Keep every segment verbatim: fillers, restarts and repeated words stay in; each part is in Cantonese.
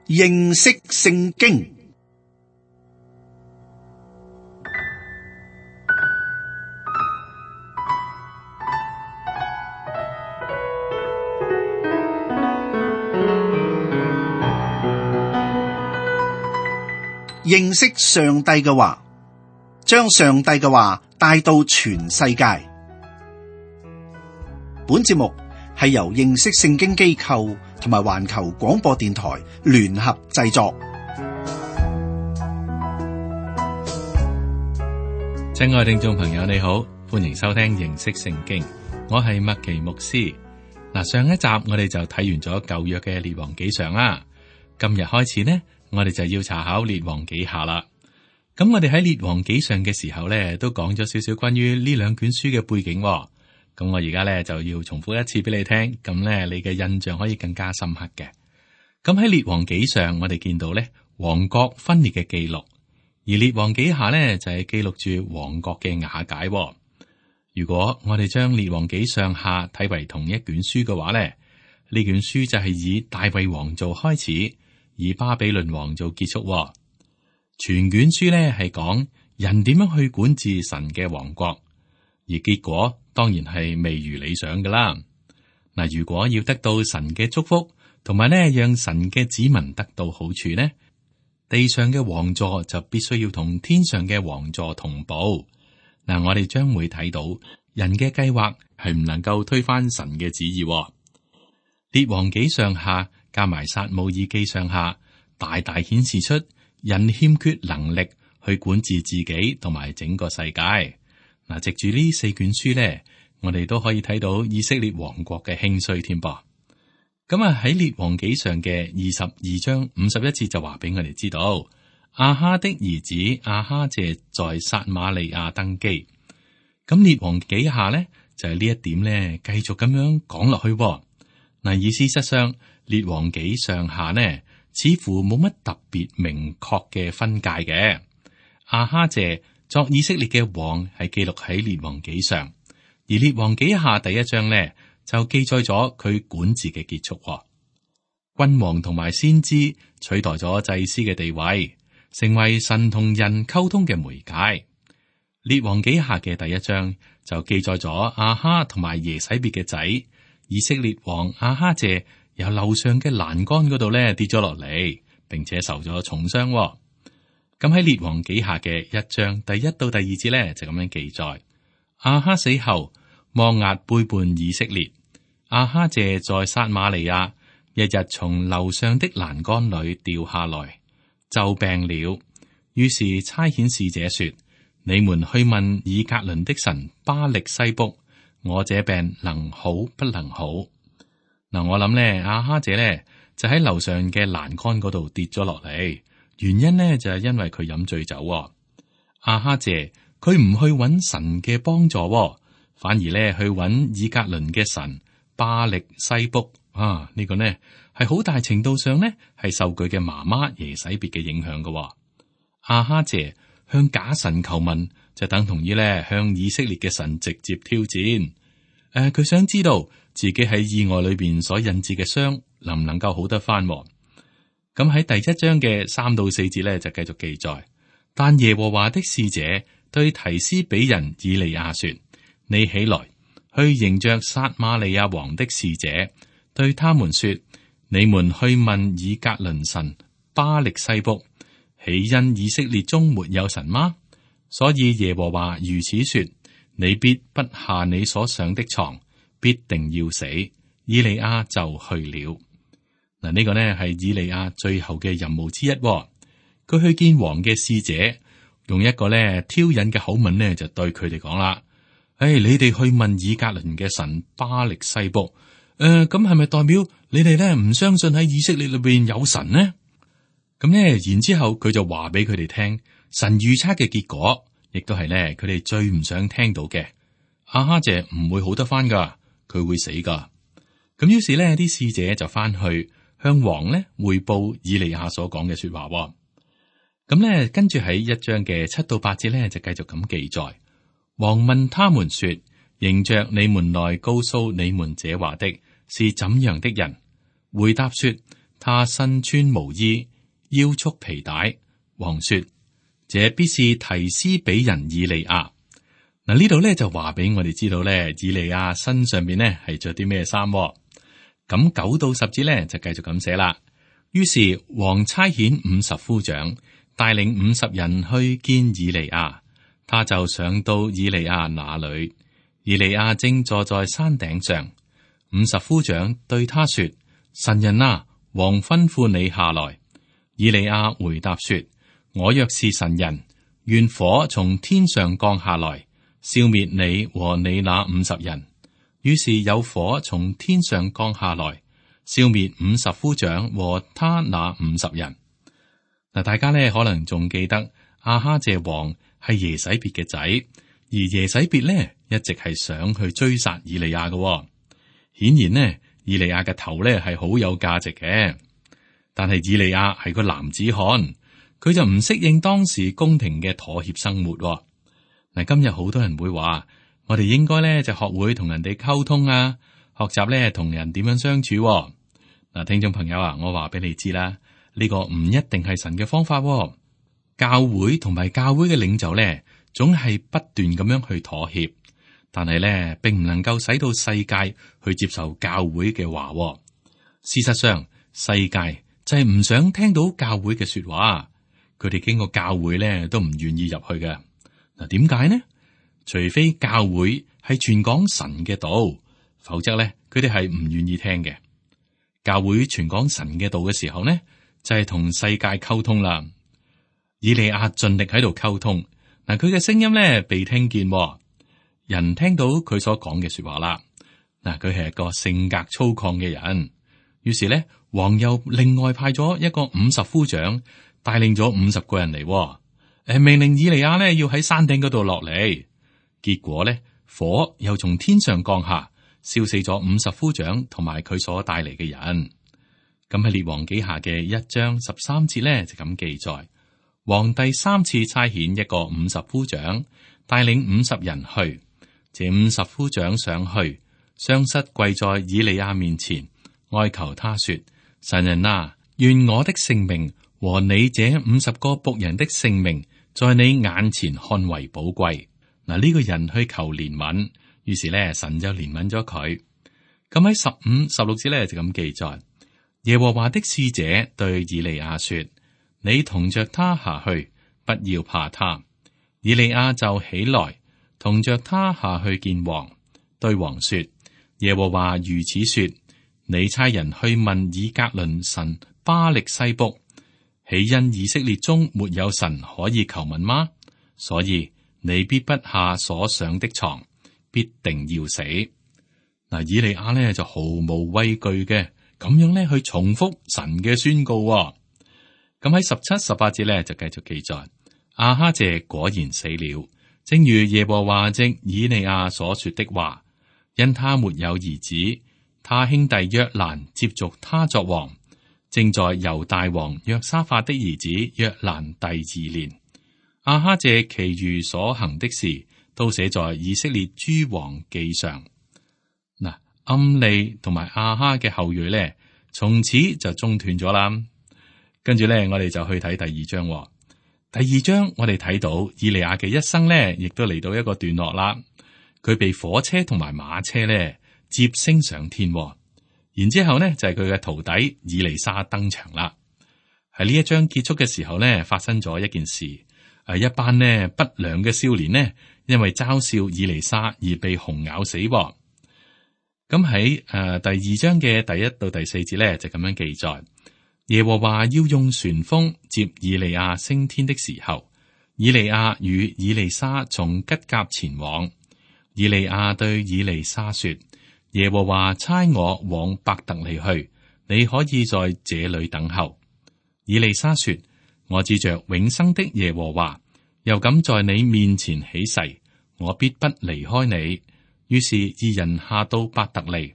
認識聖經。認識上帝嘅話，將上帝嘅話帶到全世界。本節目係由認識聖經機構同埋環球廣播電台聯合製作。親愛聽眾朋友，你好，歡迎收聽認識聖經。我係麥奇牧師。嗱，上一集我哋就睇完咗舊約嘅列王紀上啦。今日開始呢，我哋就要查考列王紀下啦。咁我哋喺列王紀上嘅時候咧，都講咗少少關於呢兩卷書嘅背景。咁我而家咧就要重複一次俾你聽，咁咧你嘅印象可以更加深刻嘅。咁喺列王紀上，我哋見到咧王國分裂嘅記錄，而列王紀下咧就係記錄住王國嘅瓦解。如果我哋將列王紀上下睇為同一卷書嘅話咧，呢卷書就係以大衛王做開始，以巴比倫王做結束。全卷書咧係講人點樣去管治神嘅王國，而結果當然係未如理想噶啦。嗱，如果要得到神嘅祝福，同埋咧讓神嘅子民得到好處呢，地上嘅王座就必須要同天上嘅王座同步。嗱，我哋將會睇到人嘅計劃係唔能夠推翻神嘅旨意。列王紀上下加埋撒母耳記上下，大大顯示出人欠缺能力去管治自己同埋整個世界。嗱，藉住呢四卷書咧，我哋都可以睇到以色列王國嘅興衰添噃。咁啊喺列王紀上嘅二十二章五十一節就話俾我哋知道，亞哈的兒子亞哈謝在撒瑪利亞登基。咁列王紀下咧就係、是、呢一點咧，繼續咁樣講落去。嗱，而事實上列王紀上下呢，似乎冇乜特別明確嘅分界嘅。亞哈謝作以色列嘅王係記錄喺列王紀上，而列王紀下第一章呢就記載咗佢管治嘅結束。君王同埋先知取代咗祭司嘅地位，成為神同人溝通嘅媒介。列王紀下嘅第一章就記載咗亞哈同埋耶洗別嘅仔以色列王亞哈謝由樓上嘅欄杆嗰度咧跌咗落嚟，並且受咗重傷。咁喺列王紀下嘅一章第一到第二節咧就咁樣記載：亞哈死後，摩押背叛以色列，亞哈謝在撒瑪利亞，日日從樓上的欄杆裏掉下來，就病了。於是差遣使者說：你們去問以革倫的神巴力西卜，我這病能好不能好？嗱，我諗咧，亞哈謝咧就喺樓上嘅欄杆嗰度跌咗落嚟，原因呢就係因為佢飲醉酒。亞哈謝佢唔去揾神嘅幫助，反而咧去揾以革倫嘅神巴力西卜啊！呢個呢係好大程度上呢係受佢嘅媽媽耶洗別嘅影響嘅。亞哈謝向假神求問，就等同於咧向以色列嘅神直接挑戰。誒、呃，佢想知道自己喺意外裏邊所引致嘅傷能唔能夠好得翻。咁喺第一章嘅三到四節咧就繼續記載，但耶和華的使者對提斯比人以利亞說：你起來去迎着撒瑪利亞王的使者，對他們說：你們去問以革倫神巴力西卜，豈因以色列中沒有神嗎？所以耶和華如此說：你必不下你所上的床，必定要死。以利亞就去了。嗱，呢個呢係以利亞最後嘅任務之一。佢去見王嘅使者，用一個咧挑釁嘅口吻呢，就對佢哋講啦：誒、hey，你哋去問以革倫嘅神巴力西卜，誒、呃，咁係咪代表你哋咧唔相信喺以色列裏邊有神呢？咁呢，然之後佢就話俾佢哋聽，神預測嘅結果，亦都係咧佢哋最唔想聽到嘅。亞哈謝唔會好得翻噶，佢會死噶。咁於是呢啲使者就翻去向王呢匯報以利亞所講嘅說話。咁呢，跟住喺一章嘅七到八節呢，就繼續咁記載。王問他們說：迎着你們來告訴你們這話的是怎樣的人？回答說：他身穿毛衣，腰束皮帶。王說：這必是提斯比人以利亞。嗱，呢度咧就話俾我哋知道咧，以利亞身上邊咧係着啲咩衫。咁九到十節咧就繼續咁寫啦。於是王差遣五十夫長帶領五十人去見以利亞，他就上到以利亞那裏。以利亞正坐在山頂上，五十夫長對他說：神人啊，王吩咐你下來。以利亞回答說：我若是神人，願火從天上降下來，消滅你和你那五十人。於是有火從天上降下來，消滅五十夫長和他那五十人。嗱，大家咧可能仲記得亞哈謝王係耶洗別嘅仔，而耶洗別咧一直係想去追殺以利亞嘅。顯然呢，以利亞嘅頭咧係好有價值嘅，但係以利亞係個男子漢，佢就唔適應當時宮廷嘅妥協生活。嗱，今日好多人會話，我哋應該咧就學會同人哋溝通啊，學習咧同人點樣相處。嗱，聽眾朋友啊，我話俾你知啦，呢個唔一定係神嘅方法。教會同埋教會嘅領袖咧，總係不斷咁樣去妥協，但係咧並唔能夠使到世界去接受教會嘅話。事實上，世界就係唔想聽到教會嘅說話，佢哋經過教會咧都唔願意入去嘅。嗱，點解呢？除非教會係傳講神嘅道，否則咧佢哋係唔願意聽嘅。教會傳講神嘅道嘅時候呢，就係、是、同世界溝通啦。以利亞盡力喺度溝通，嗱，佢嘅聲音咧被聽見，人聽到佢所講嘅說話啦。嗱，佢係一個性格粗獷嘅人，於是咧王又另外派咗一個五十夫長，帶領咗五十個人嚟，誒，命令以利亞咧要喺山頂嗰度落嚟。結果咧火又從天上降下，燒死咗五十夫長同埋佢所帶嚟嘅人。咁喺列王紀下嘅一章十三節咧就咁記載，王第三次差遣一個五十夫長帶領五十人去，這五十夫長上去，雙膝跪在以利亞面前，哀求他說：神人啊，願我的性命和你這五十個僕人的性命在你眼前看為寶貴。嗱，呢個人去求憐憫，於是咧神就憐憫咗佢。咁喺十五、十六節咧就咁記載，耶和華的使者對以利亞說：你同着他下去，不要怕他。以利亞就起來，同着他下去見王，對王說：耶和華如此說，你差人去問以革倫神巴力西卜，豈因以色列中沒有神可以求問嗎？所以你必不下所上的床，必定要死。嗱，以利亞呢就毫無畏懼嘅，咁樣呢去重複神嘅宣告。咁喺十七、十八節呢就繼續記載，亞哈謝果然死了，正如耶和華藉以利亞所說的話，因他沒有兒子，他兄弟約蘭接續他作王，正在猶大王約沙法的兒子約蘭第二年。亞哈謝其餘所行的事，都寫在以色列諸王記上。嗱，暗利同埋亞哈嘅後裔咧，從此就中斷咗啦。跟住咧，我哋就去睇第二章。第二章我哋睇到以利亞嘅一生咧，亦都嚟到一個段落啦。佢被火車同埋馬車咧接升上天，然之後呢就係佢嘅徒弟以利沙登場啦。喺呢一章結束嘅時候呢，發生咗一件事。誒，一班呢不良嘅少年呢，因為嘲笑以利沙而被熊咬死。咁喺誒第二章嘅第一到第四節咧，就咁樣記載：耶和華要用旋風接以利亞升天的時候，以利亞與以利沙從吉甲前往。以利亞對以利沙說：耶和華差我往伯特利去，你可以在這裏等候。以利沙說：我指着永生的耶和華，又敢在你面前起誓，我必不離開你。於是二人下到伯特利，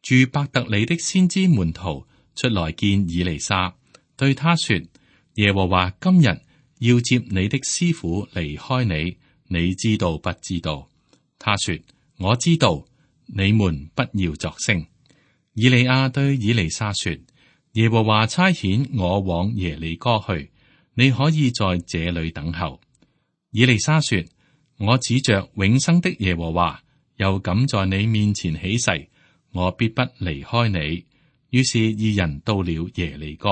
住伯特利的先知門徒出來見以利沙，對他說：耶和華今日要接你的師傅離開你，你知道不知道？他說：我知道。你們不要作聲。以利亞對以利沙說：耶和華差遣我往耶利哥去，你可以在這裏等候。以利沙說：我指着永生的耶和華，又敢在你面前起誓，我必不離開你。於是二人到了耶利哥。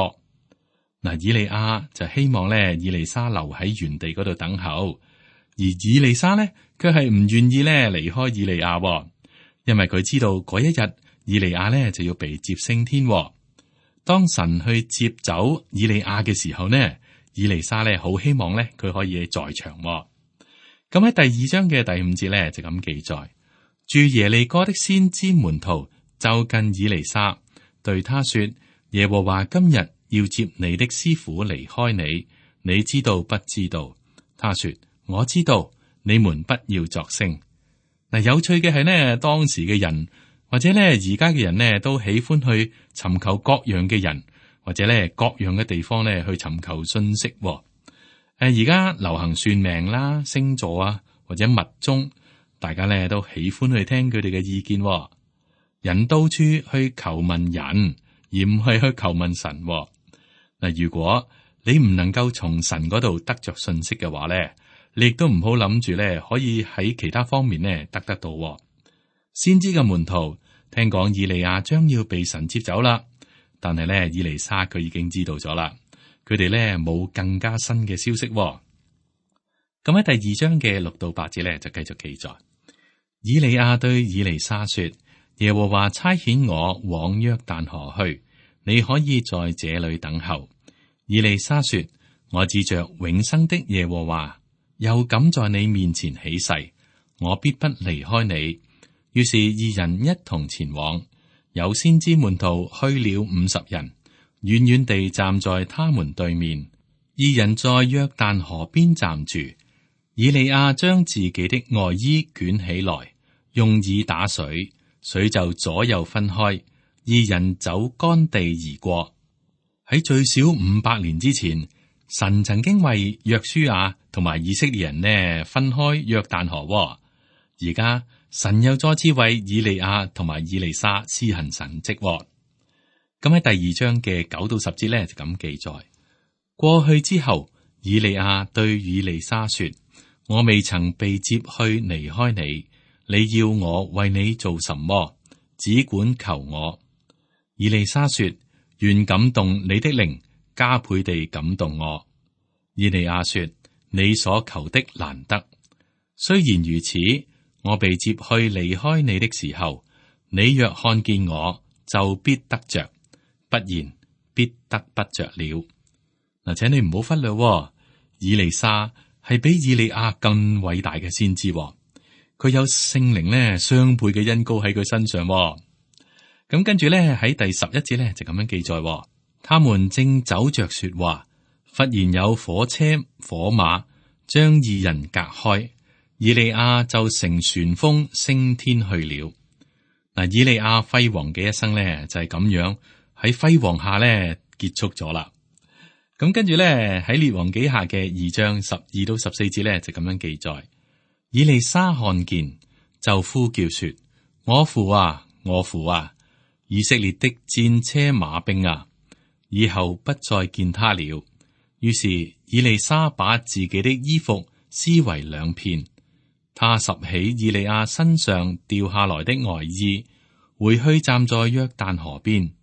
嗱，以利亞就希望咧，以利沙留喺原地嗰度等候，而以利沙咧，卻係唔願意咧離開以利亞，因為佢知道嗰一日以利亞咧就要被接升天。當神去接走以利亞嘅時候呢，以利沙咧好希望咧佢可以在場。咁喺第二章嘅第五節咧就咁記載，住耶利哥的先知門徒就近以利沙，對他說：耶和華今日要接你的師傅離開你，你知道不知道？他說：我知道。你們不要作聲。嗱，有趣嘅係呢，當時嘅人或者咧而家嘅人呢，都喜歡去尋求各樣嘅人或者咧各樣嘅地方咧去尋求信息。誒，而家流行算命啦、星座啊或者密宗，大家咧都喜歡去聽佢哋嘅意見。人到處去求問人，而唔係去求問神。嗱，如果你唔能夠從神嗰度得着信息嘅話咧，你亦都唔好諗住咧可以喺其他方面咧得得到。先知嘅門徒聽講以利亞將要被神接走啦，但係咧以利沙佢已經知道咗啦，佢哋咧冇更加新嘅消息。咁喺第二章嘅六到八節咧就繼續記載，以利亞對以利沙說：耶和華差遣我往約旦河去，你可以在這裏等候。以利沙說：我指着永生的耶和華，又敢在你面前起誓，我必不離開你。於是二人一同前往，有先知門徒去了五十人，遠遠地站在他們對面。二人在約旦河邊站住，以利亞將自己的外衣捲起來，用以打水，水就左右分開，二人走乾地而過。喺最少五百年之前，神曾經為約書亞同埋以色列人呢分開約旦河。而家神又再次為以利亞同埋以利沙施行神蹟。咁喺第二章嘅九到十節咧就咁記載：過去之後，以利亞對以利沙說：我未曾被接去離開你，你要我為你做什麼？只管求我。以利沙說：願感動你的靈加倍地感動我。以利亞說：你所求的難得。雖然如此，我被接去離開你的時候，你若看見我，就必得着；不然，必得不着了。嗱，請你唔好忽略，以利沙係比以利亞更偉大嘅先知，佢有聖靈呢雙倍嘅恩膏喺佢身上。咁跟住咧喺第十一節咧就咁樣記載，他們正走着說話，忽然有火車火馬將二人隔開，以利亞就乘旋風升天去了。嗱，以利亞輝煌嘅一生咧就係咁樣喺輝煌下咧結束咗啦。咁跟住咧喺列王紀下嘅二章十二到十四節咧就咁樣記載，以利沙看見就呼叫說：我父啊，我父啊！以色列的戰車馬兵啊！以後不再見他了。於是以利沙把自己的衣服撕為兩片，他拾起以利亞身上掉下來的外衣，回去站在約旦河邊。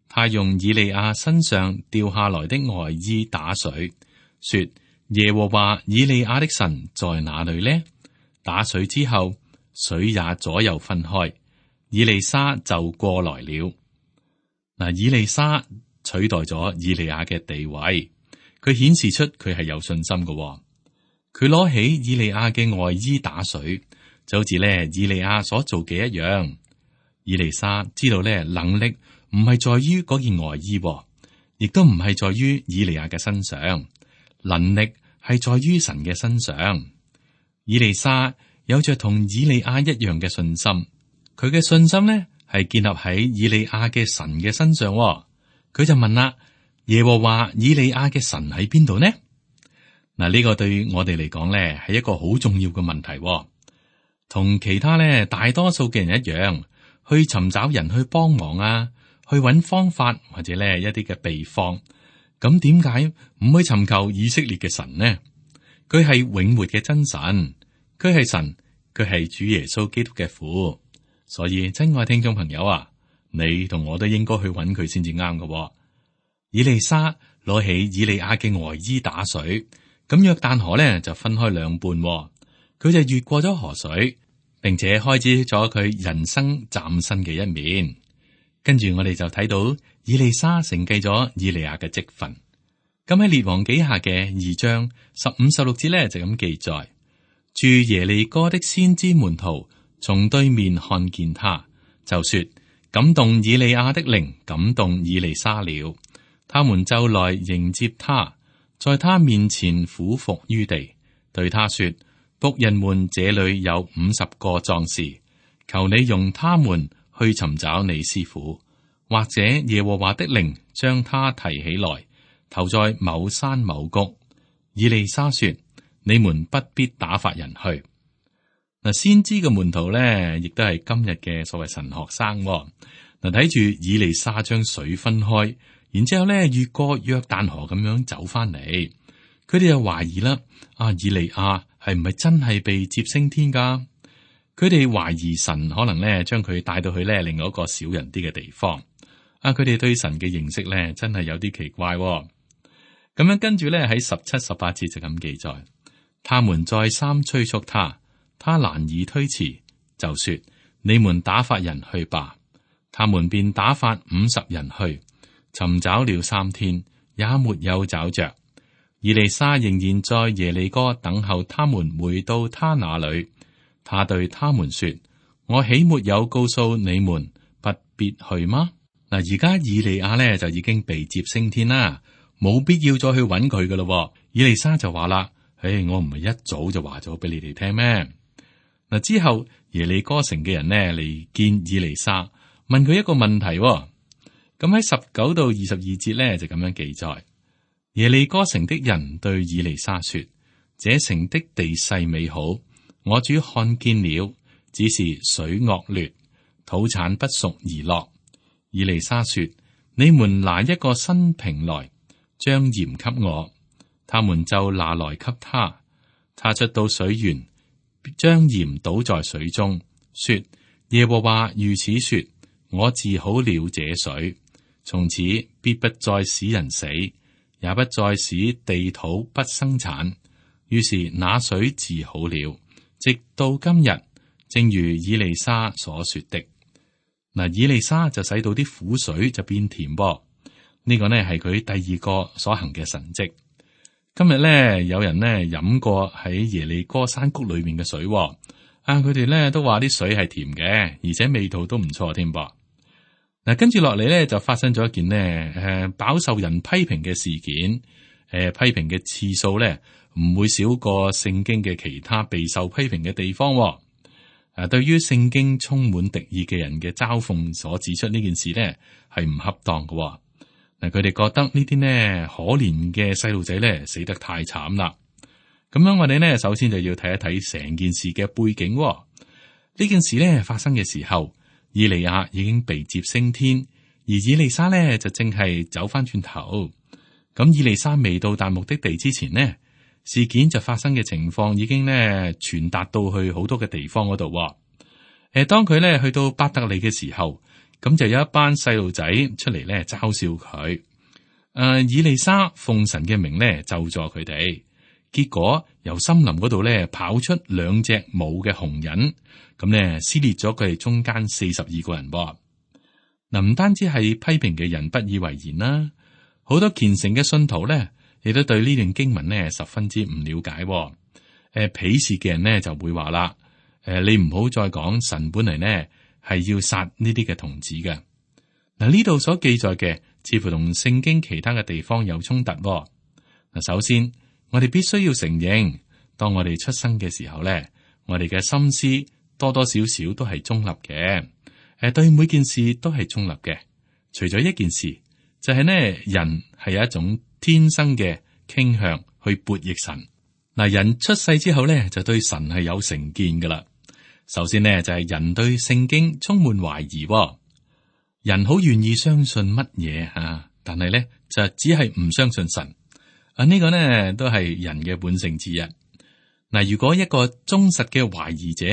他用以利亞身上掉下來的外衣打水，說：耶和華以利亞的神在哪裏呢？打水之後，水也左右分開。以利沙就過來了。嗱，以利沙取代咗以利亞嘅地位，佢顯示出佢係有信心嘅。佢攞起以利亞嘅外衣打水，就好似咧以利亞所做嘅一樣。以利沙知道咧能力唔係在於嗰件外衣，亦都唔係在於以利亞嘅身上，能力係在於神嘅身上。以利沙有着同以利亞一樣嘅信心。佢嘅信心咧係建立喺以利亞嘅神嘅身上。佢就問啦：耶和華以利亞嘅神喺邊度呢？嗱，呢個對我哋嚟講咧係一個好重要嘅問題。同其他咧大多數嘅人一樣，去尋找人去幫忙啊，去揾方法或者咧一啲嘅秘方。咁點解唔去尋求以色列嘅神呢？佢係永活嘅真神，佢係神，佢係主耶穌基督嘅父。所以，親愛聽眾朋友啊，你同我都應該去揾佢先至啱嘅。以利沙攞起以利亞嘅外衣打水，咁約旦河咧就分開兩半，佢就越過咗河水，並且開始咗佢人生嶄新嘅一面。跟住我哋就睇到以利沙承繼咗以利亞嘅職分。咁喺列王紀下嘅二章十五十六節咧就咁記載：住耶利哥的先知門徒從對面看見他，就說感動以利亞的靈感動以利沙了。他們就來迎接他，在他面前俯伏於地，對他說：僕人們這裏有五十個壯士，求你用他們去尋找你師傅，或者耶和華的靈將他提起來，投在某山某谷。以利沙說：你們不必打發人去。嗱，先知嘅門徒咧，亦都係今日嘅所謂神學生。嗱，睇住以利沙將水分開，然之後咧越過約旦河咁樣走翻嚟，佢哋就懷疑啦：啊，以利亞係唔係真係被接升天噶？佢哋懷疑神可能咧將佢帶到去咧另外一個少人啲嘅地方。啊，佢哋對神嘅認識咧真係有啲奇怪。咁樣跟住咧喺十七、十八節就咁記載：他們再三催促他，他難以推辭，就說：你們打發人去吧。他們便打發五十人去，尋找了三天，也沒有找着。以利沙仍然在耶利哥等候他們回到他那裏。他對他們說：我豈沒有告訴你們不必去嗎？嗱，而家以利亞咧就已經被接升天啦，冇必要再去揾佢噶咯。以利沙就話啦：唉，我唔係一早就話咗俾你哋聽咩？嗱，之後耶利哥城嘅人呢嚟見以利沙，問佢一個問題。咁喺十九到二十二節咧就咁樣記載：耶利哥城的人對以利沙說：這城的地勢美好，我主看見了，只是水惡劣，土產不熟而落。以利沙說：你們拿一個新瓶來，將鹽給我。他們就拿來給他。他出到水源，將鹽倒在水中，說：耶和華如此說，我治好了這水，從此必不再使人死，也不再使地土不生產。於是那水治好了，直到今日，正如以利沙所說的。嗱，以利沙就使到啲苦水就變甜噃。呢、這個呢係佢第二個所行嘅神蹟。今日咧，有人咧飲過喺耶利哥山谷裏面嘅水，啊，佢哋咧都話啲水係甜嘅，而且味道都唔錯添噃。嗱，跟住落嚟咧就發生咗一件呢誒飽受人批評嘅事件。誒、呃，批評嘅次數咧唔會少過聖經嘅其他備受批評嘅地方。誒、啊，對於聖經充滿敵意嘅人嘅嘲諷所指出呢件事咧係唔恰當嘅。嗱，佢哋覺得呢啲呢可憐嘅細路仔咧死得太慘啦。咁樣我哋呢首先就要睇一睇成件事嘅背景。呢件事呢發生嘅時候，以利亞已經被接升天，而以利沙呢就正係走翻轉頭。咁以利沙未到達目的地之前呢，事件就發生嘅情況已經呢傳達到去好多嘅地方嗰度。誒，當佢呢去到伯特利嘅時候，咁就有一班細路仔出嚟咧嘲笑佢。誒、呃，以利沙奉神嘅名咧咒詛佢哋，結果由森林嗰度咧跑出兩隻母嘅熊人，咁咧撕裂咗佢哋中間四十二個人噃。嗱，唔單止係批評嘅人不以為然啦，好多虔誠嘅信徒咧亦都對呢段經文咧十分之唔了解。誒、呃，鄙視嘅人咧就會話啦：誒、呃，你唔好再講神本嚟呢係要殺呢啲嘅童子嘅。嗱，呢度所記載嘅似乎同聖經其他嘅地方有衝突。嗱，首先我哋必須要承認，當我哋出生嘅時候咧，我哋嘅心思多多少少都係中立嘅。誒，對每件事都係中立嘅，除咗一件事，就係呢，人係有一種天生嘅傾向去悖逆神。嗱，人出世之後咧，就對神係有成見噶啦。首先呢，就係人對聖經充滿懷疑。人好願意相信乜嘢啊，但係咧就只係唔相信神。啊，呢個呢都係人嘅本性之一。嗱，如果一個忠實嘅懷疑者，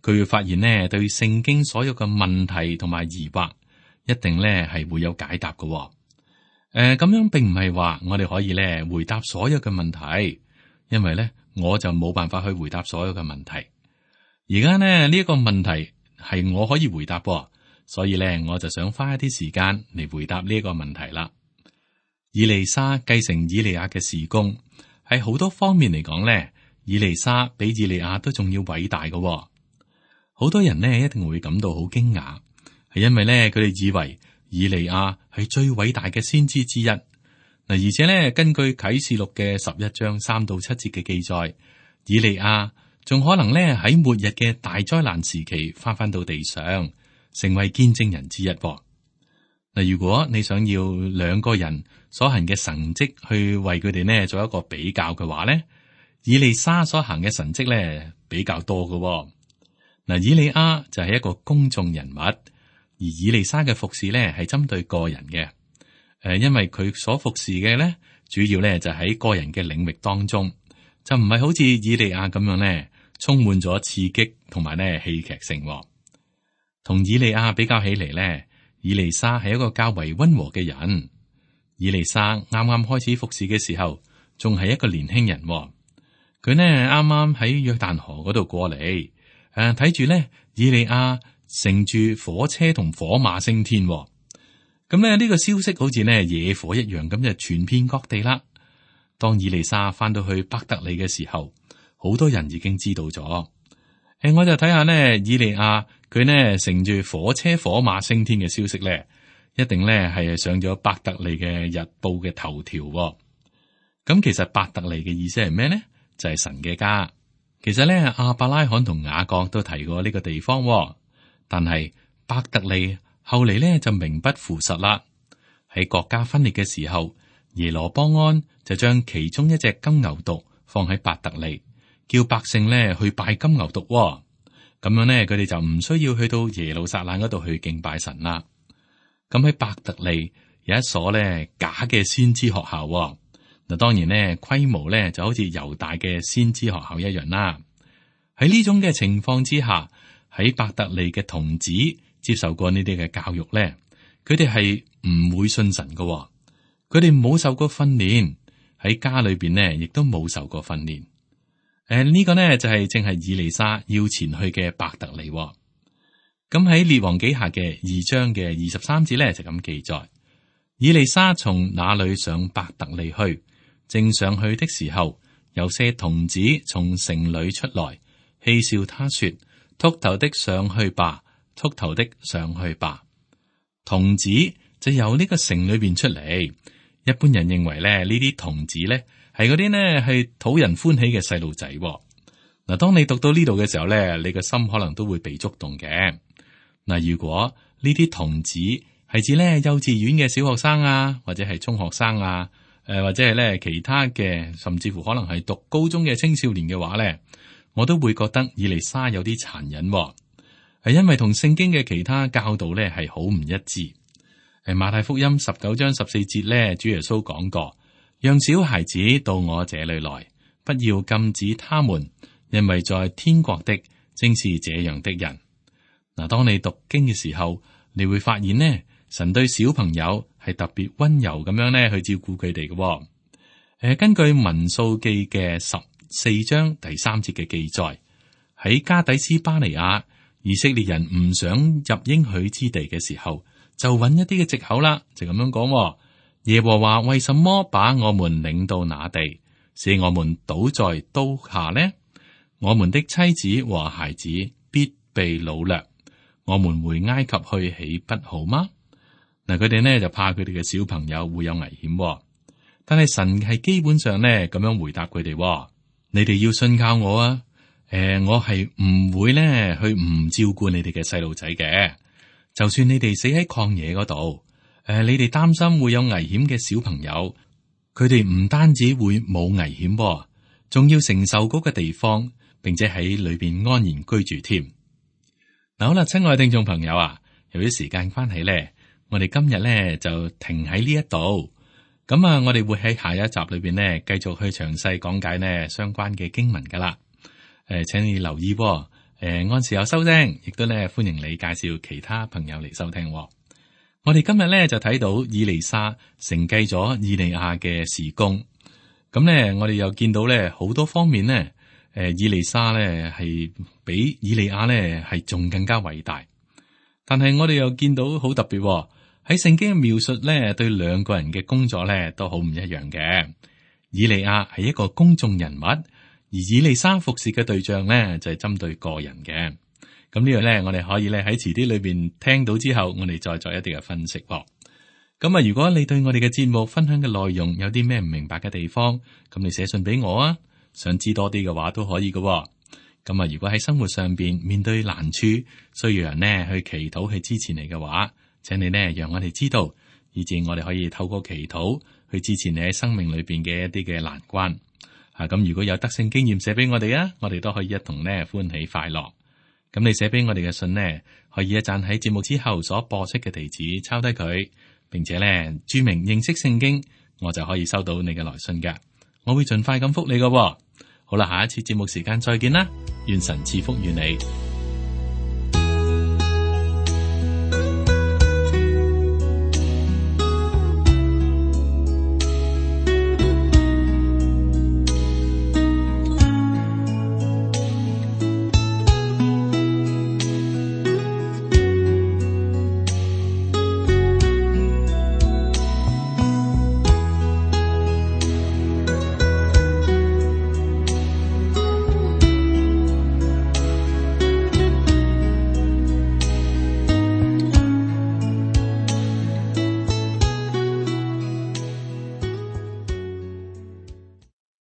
佢會發現呢對聖經所有嘅問題同埋疑惑，一定咧係會有解答嘅。誒、呃，咁樣並唔係話我哋可以咧回答所有嘅問題，因為咧我就冇辦法去回答所有嘅問題。而家呢呢一個問題係我可以回答，所以咧我就想花一啲時間嚟回答呢一個問題啦。以利沙繼承以利亞嘅事工，喺好多方面嚟講咧，以利沙比以利亞都仲要偉大嘅。好多人呢一定會感到好驚訝，係因為咧佢哋以為以利亞係最偉大嘅先知之一。嗱，而且咧根據啟示錄嘅十一章三到七節嘅記載，以利亞仲可能咧喺末日嘅大災難時期翻返到地上，成為見證人之一。嗱，如果你想要兩個人所行嘅神蹟去為佢哋呢做一個比較嘅話咧，以利沙所行嘅神蹟咧比較多嘅。嗱，以利亞就係一個公眾人物，而以利沙嘅服侍咧係針對個人嘅。誒，因為佢所服侍嘅咧，主要咧就喺個人嘅領域當中，就唔係好似以利亞咁樣咧，充滿咗刺激同埋咧戲劇性。同以利亞比較起嚟咧，以利沙係一個較為溫和嘅人。以利沙啱啱開始服侍嘅時候，仲係一個年輕人。佢呢啱啱喺約旦河嗰度過嚟，誒睇住咧以利亞乘住火車同火馬升天。咁咧呢個消息好似呢野火一樣咁就傳遍各地啦。當以利沙翻到去伯特利嘅時候，好多人已經知道咗。誒，我就睇下呢以利亞佢呢乘住火車火馬升天嘅消息咧，一定咧係上咗伯特利嘅日報嘅頭條。咁其實伯特利嘅意思係咩呢？就係神嘅家。其實咧亞伯拉罕同雅各都提過呢個地方，但係伯特利後嚟咧就名不符實啦。喺國家分裂嘅時候，耶羅波安就將其中一隻金牛犢放喺伯特利，叫百姓咧去拜金牛犢。咁樣咧，佢哋就唔需要去到耶路撒冷嗰度去敬拜神啦。咁喺伯特利有一所咧假嘅先知學校。嗱，當然咧規模咧就好似猶大嘅先知學校一樣啦。喺呢種嘅情況之下，喺伯特利嘅童子接受過呢啲嘅教育咧，佢哋係唔會信神噶。佢哋冇受過訓練，喺家裏邊呢亦都冇受過訓練。誒、呃，呢、這個呢就係、是、正係以利沙要前去嘅伯特利。咁喺列王紀下嘅二章嘅二十三節咧就咁記載：以利沙從那裏上伯特利去，正上去的時候，有些童子從城裏出來，戲笑他說：禿頭的上去吧，禿頭的上去吧。童子就由呢個城裏邊出嚟。一般人認為咧，呢啲童子咧係嗰啲呢係討人歡喜嘅細路仔。嗱，當你讀到呢度嘅時候咧，你個心可能都會被觸動嘅。嗱，如果呢啲童子係指咧幼稚園嘅小學生啊，或者係中學生啊，誒或者係咧其他嘅，甚至乎可能係讀高中嘅青少年嘅話咧，我都會覺得以利沙有啲殘忍，係因為同聖經嘅其他教導咧係好唔一致。誒，馬太福音十九章十四節咧，主耶穌講過：讓小孩子到我這裏來，不要禁止他們，因為在天國的正是這樣的人。嗱，當你讀經嘅時候，你會發現呢，神對小朋友係特別溫柔咁樣咧去照顧佢哋嘅。誒，根據民數記嘅十四章第三節嘅記載，喺加底斯巴尼亞，以色列人唔想入應許之地嘅時候，就揾一啲嘅藉口啦，就咁樣講：耶和華為什麼把我們領到那地，使我們倒在刀下呢？我們的妻子和孩子必被擄掠，我們回埃及去豈不好嗎？嗱，佢哋呢就怕佢哋嘅小朋友會有危險，但係神係基本上呢咁樣回答佢哋：你哋要信靠我啊！誒、呃，我係唔會呢去唔照顧你哋嘅細路仔嘅。就算你哋死喺曠野嗰度，誒、呃，你哋擔心會有危險嘅小朋友，佢哋唔單止會冇危險，仲要承受嗰個地方，並且喺裏邊安然居住添。嗱，好啦，親愛嘅聽眾朋友啊，由於時間關係咧，我哋今日咧就停喺呢一度。咁啊，我哋會喺下一集裏邊呢，繼續去詳細講解呢相關嘅經文噶啦。誒、呃，請你留意、哦，誒、呃，按時有收聽，亦都咧歡迎你介紹其他朋友嚟收聽、哦。我哋今日咧就睇到以利沙承繼咗以利亞嘅事工，咁咧我哋又見到咧好多方面呢，誒，以利沙咧係比以利亞咧係仲更加偉大，但係我哋又見到好特別喎、哦。喺聖經嘅描述咧，對兩個人嘅工作咧都好唔一樣嘅。以利亞係一個公眾人物，而以利沙服侍嘅對象咧就係針對個人嘅。咁呢個咧，我哋可以咧喺遲啲裏邊聽到之後，我哋再作一啲嘅分析。咁啊，如果你對我哋嘅節目分享嘅內容有啲咩唔明白嘅地方，咁你寫信俾我啊，想知多啲嘅話都可以嘅。咁啊，如果喺生活上邊面對難處，需要人呢去祈禱去支持你嘅話，請你呢，讓我哋知道，以至我哋可以透過祈禱去支持你喺生命裏邊嘅一啲嘅難關。啊，咁如果有得勝經驗寫俾我哋啊，我哋都可以一同呢歡喜快樂。咁你寫俾我哋嘅信呢，可以一陣喺節目之後所播出嘅地址抄低佢，並且呢注明認識聖經，我就可以收到你嘅來信嘅。我會盡快咁覆你嘅。好啦，下一次節目時間再見啦，願神賜福於你。